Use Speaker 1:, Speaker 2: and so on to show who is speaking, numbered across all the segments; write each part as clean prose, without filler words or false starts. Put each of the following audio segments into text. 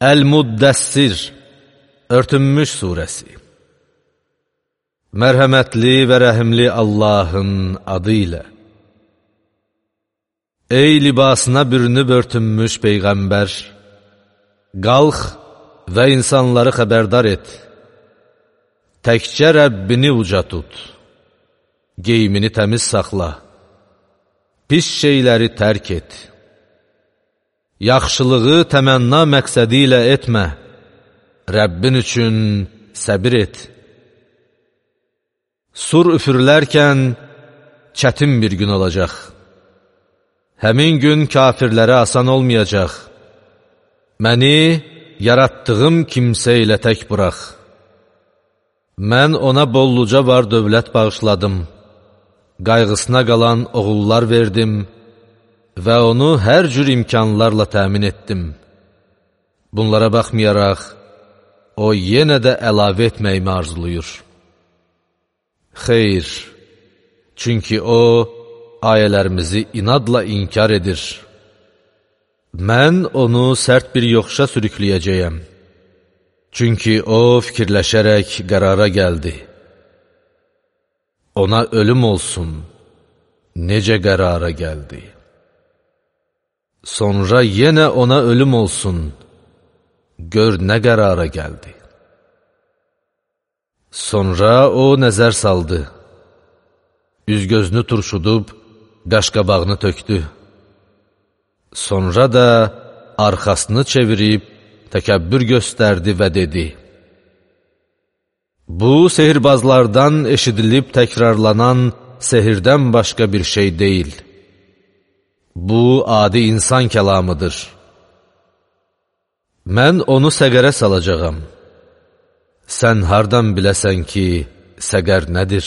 Speaker 1: Əl-Muddəssir, Örtünmüş surəsi. Mərhəmətli və rəhimli Allahın adı ilə. Ey libasına bürünüb örtünmüş Peyğəmbər, qalx və insanları xəbərdar et. Təkcə Rəbbini uca tut, geyimini təmiz saxla, pis şeyləri tərk et. Yaxşılığı təmənna məqsədi ilə etmə, Rəbbin üçün səbir et. Sur üfürlərkən çətin bir gün olacaq. Həmin gün kafirlərə asan olmayacaq. Məni yaratdığım kimsə ilə tək burax. Mən ona bolluca var dövlət bağışladım. Qayğısına qalan oğullar verdim və onu hər cür imkanlarla təmin etdim. Bunlara baxmayaraq, o yenə də əlavə etməyimi arzuluyur. Xeyr, çünki o, ayələrimizi inadla inkar edir. Mən onu sərt bir yoxuşa sürükləyəcəyəm. Çünki o, fikirləşərək qərara gəldi. Ona ölüm olsun, necə qərara gəldi. Sonra yenə ona ölüm olsun, gör nə qərara gəldi. Sonra o nəzər saldı, üz-gözünü turşudub, qaşqabağını tökdü. Sonra da arxasını çevirib, təkəbbür göstərdi və dedi: Bu, sehirbazlardan eşidilib təkrarlanan sehirdən başqa bir şey deyil. Bu, adi insan kəlamıdır. Mən onu səqərə salacağam. Sən hardan biləsən ki, səqər nədir?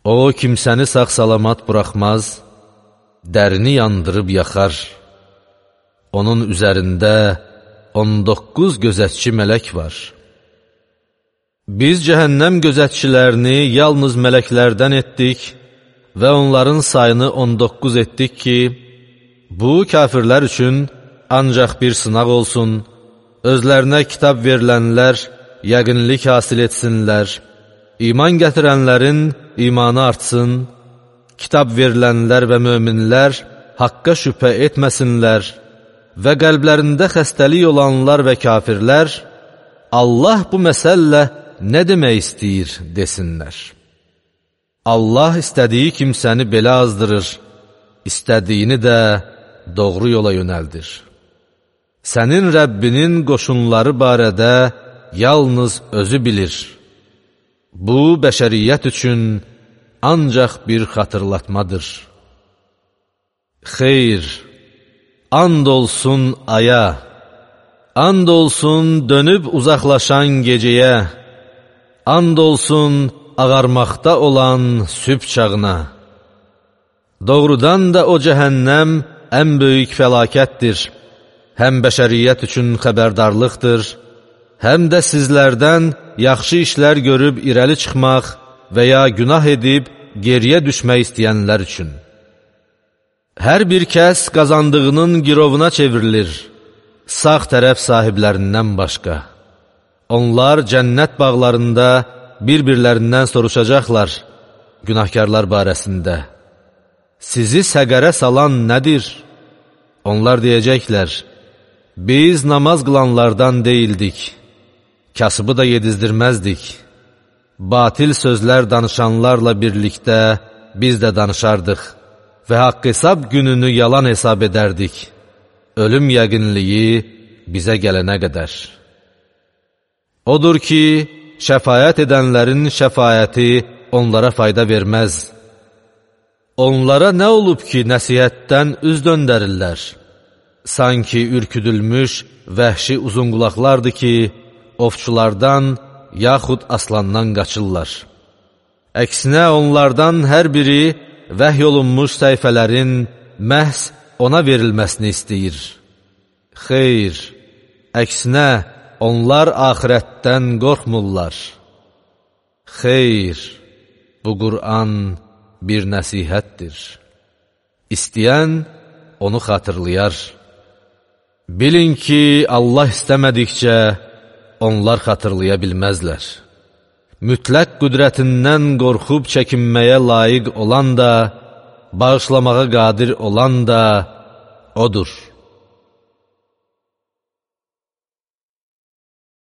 Speaker 1: O, kimsəni sağ-salamat buraxmaz, dərini yandırıb yaxar. Onun üzərində 19 gözətçi mələk var. Biz cəhənnəm gözətçilərini yalnız mələklərdən etdik və onların sayını 19 etdik ki, bu kafirlər üçün ancaq bir sınaq olsun, özlərinə kitab verilənlər yəqinlik hasil etsinlər, iman gətirənlərin imanı artsın, kitab verilənlər və möminlər haqqa şübhə etməsinlər və qəlblərində xəstəlik olanlar və kafirlər Allah bu məsəllə nə demək istəyir desinlər. Allah istədiyi kimsəni belə azdırır, istədiyini də doğru yola yönəldir. Sənin Rəbbinin qoşunları barədə yalnız özü bilir. Bu, bəşəriyyət üçün ancaq bir xatırlatmadır. Xeyr, and olsun aya, and olsun dönüb uzaqlaşan gecəyə, and olsun ağarmaqda olan sübh çağına. Doğrudan da o cəhənnəm ən böyük fəlakətdir. Həm bəşəriyyət üçün xəbərdarlıqdır, həm də sizlərdən yaxşı işlər görüb irəli çıxmaq və ya günah edib geriyə düşmək istəyənlər üçün. Hər bir kəs qazandığının girovuna çevrilir, sağ tərəf sahiblərindən başqa. Onlar cənnət bağlarında bir-birlərindən soruşacaqlar günahkarlar barəsində. Sizi səqərə salan nədir? Onlar deyəcəklər: Biz namaz qılanlardan deyildik, kasıbı da yedizdirməzdik. Batil sözlər danışanlarla birlikdə biz də danışardıq və haqq hesab gününü yalan hesab edərdik, ölüm yəqinliyi bizə gələnə qədər. Odur ki, şəfaət edənlərin şəfaəti onlara fayda verməz. Onlara nə olub ki, nəsihətdən üz döndərirlər? Sanki ürküdülmüş, vəhşi uzunqulaqlardır ki, ovçulardan yaxud aslandan qaçırlar. Əksinə onlardan hər biri vəhy olunmuş səhifələrin məhz ona verilməsini istəyir. Xeyr, əksinə onlar axirətdən qorxmurlar. Xeyr, bu Qur'an bir nəsihətdir. İstəyən onu xatırlayar. Bilin ki, Allah istəmədikcə onlar xatırlaya bilməzlər. Mütləq qüdrətindən qorxub çəkinməyə layiq olan da, bağışlamağa qadir olan da Odur.